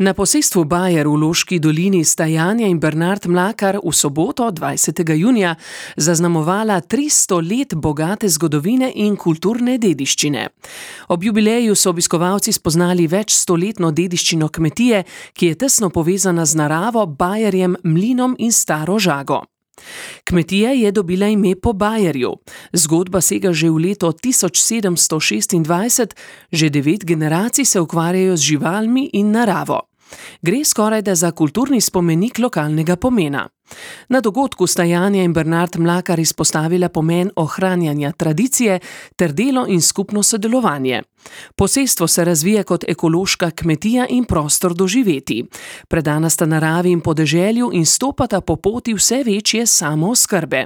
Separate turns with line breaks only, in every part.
Na posestvu Bajer v Loški dolini sta Janja in Bernard Mlakar v soboto, 20. junija, zaznamovala 300 let bogate zgodovine in kulturne dediščine. Ob jubileju so obiskovalci spoznali večstoletno dediščino kmetije, ki je tesno povezana z naravo, bajerjem, mlinom in staro žago. Kmetija je dobila ime po bajerju. Zgodba sega že v leto 1726, že 9 generacij se ukvarjajo z živalmi in naravo. Gre skorajda za kulturni spomenik lokalnega pomena. Na dogodku sta Janja in Bernard Mlakar izpostavila pomen ohranjanja tradicije ter delo in skupno sodelovanje. Posestvo se razvija kot ekološka kmetija in prostor doživeti. Predana sta naravi in podeželju in stopata po poti vse večje samooskrbe.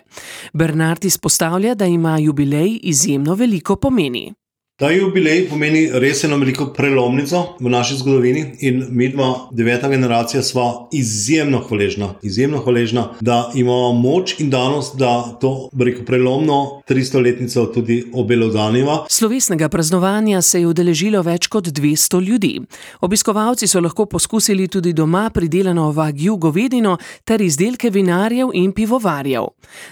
Bernard izpostavlja, da ima jubilej izjemno veliko pomeni.
Ta jubilej pomeni res eno veliko prelomnico v naši zgodovini in mi dva, 9. generacija, sva izjemno hvaležna, da imamo moč in danost, da to prelomno 300-letnico tudi obelodaniva.
Slovesnega praznovanja se je udeležilo več kot 200 ljudi. Obiskovalci so lahko poskusili tudi doma pridelano wagyu govedino ter izdelke vinarjev in pivovarjev.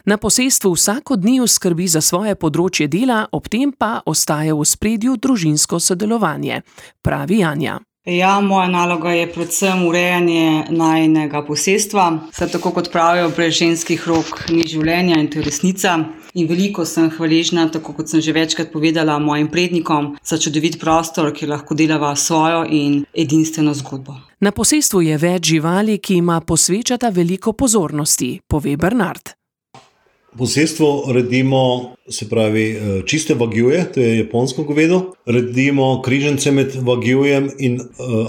Na posestvu vsak od njiju skrbi za svoje področje dela, ob tem pa ostaja v spredju družinsko sodelovanje, pravi Janja.
Ja, moja naloga je predvsem urejanje najinega posestva. Saj tako kot pravijo, brez ženskih rok ni življenja in to je resnica. In veliko sem hvaležna, tako kot sem že večkrat povedala, mojim prednikom za čudovit prostor, kjer lahko delava svojo in edinstveno zgodbo.
Na posestvu je več živali, ki ima posvečata veliko pozornosti, pove Bernard.
Posestvo redimo, se pravi, čiste wagyuje, to je japonsko govedo. Redimo križance med wagjujem in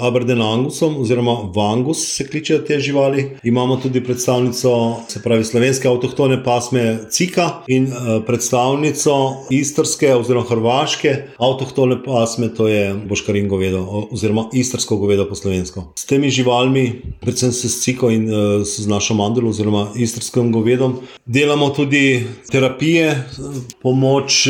Aberdeen Angusom, oziroma Vangus se kličejo te živali. Imamo tudi predstavnico, se pravi, slovenske avtohtone pasme Cika in predstavnico istrske oziroma hrvaške avtohtone pasme, to je boškarin govedo, oziroma istrsko govedo po slovensko. S temi živalmi, predvsem se s Ciko in z našo mandalo oziroma istrskim govedom, delamo tudi terapije, pomoč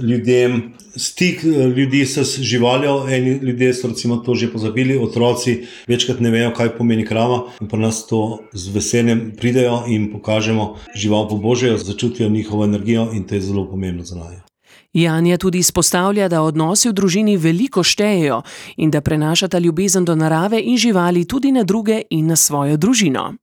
ljudem, stik ljudi s živaljo. Eni ljudje so recimo to že pozabili, otroci večkrat ne vejo, kaj pomeni krava, in pa nas to z veseljem pridejo in pokažemo žival po Božje, začutijo njihovo energijo in to je zelo pomembno za naju.
Janja tudi izpostavlja, da odnosi v družini veliko štejejo in da prenašata ljubezen do narave in živali tudi na druge in na svojo družino.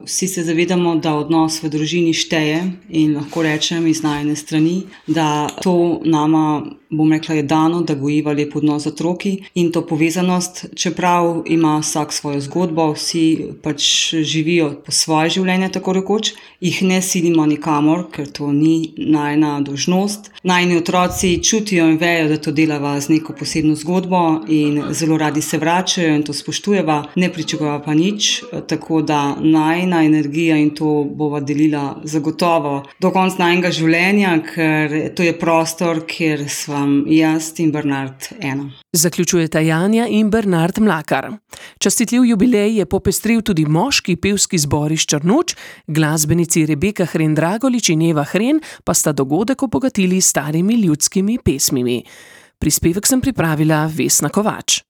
Vsi se zavedamo, da odnos v družini šteje in lahko rečem iz najine strani, da to nama, bom rekla, je dano, da gojiva lep odnos z otroki in to povezanost, čeprav ima vsak svojo zgodbo, vsi pač živijo po svoje življenje, tako rekoč, jih ne silimo nikamor, ker to ni najina dolžnost. Najini otroci čutijo in vejo, da to delava z neko posebno zgodbo in zelo radi se vračajo in to spoštujeva, ne pričakujeva pa nič, tako da najina energija in to bova delila zagotovo do konca najinega življenja, ker to je prostor, kjer svam jaz in Bernard eno.
Zaključujeta Janja in Bernard Mlakar. Častitljiv jubilej je popestril tudi moški pevski zbor iz Črnuč, glasbenici Rebeka Hren-Dragolič in Eva Hren pa sta dogodek obogatili s starimi ljudskimi pesmimi. Prispevek sem pripravila Vesna Kovač.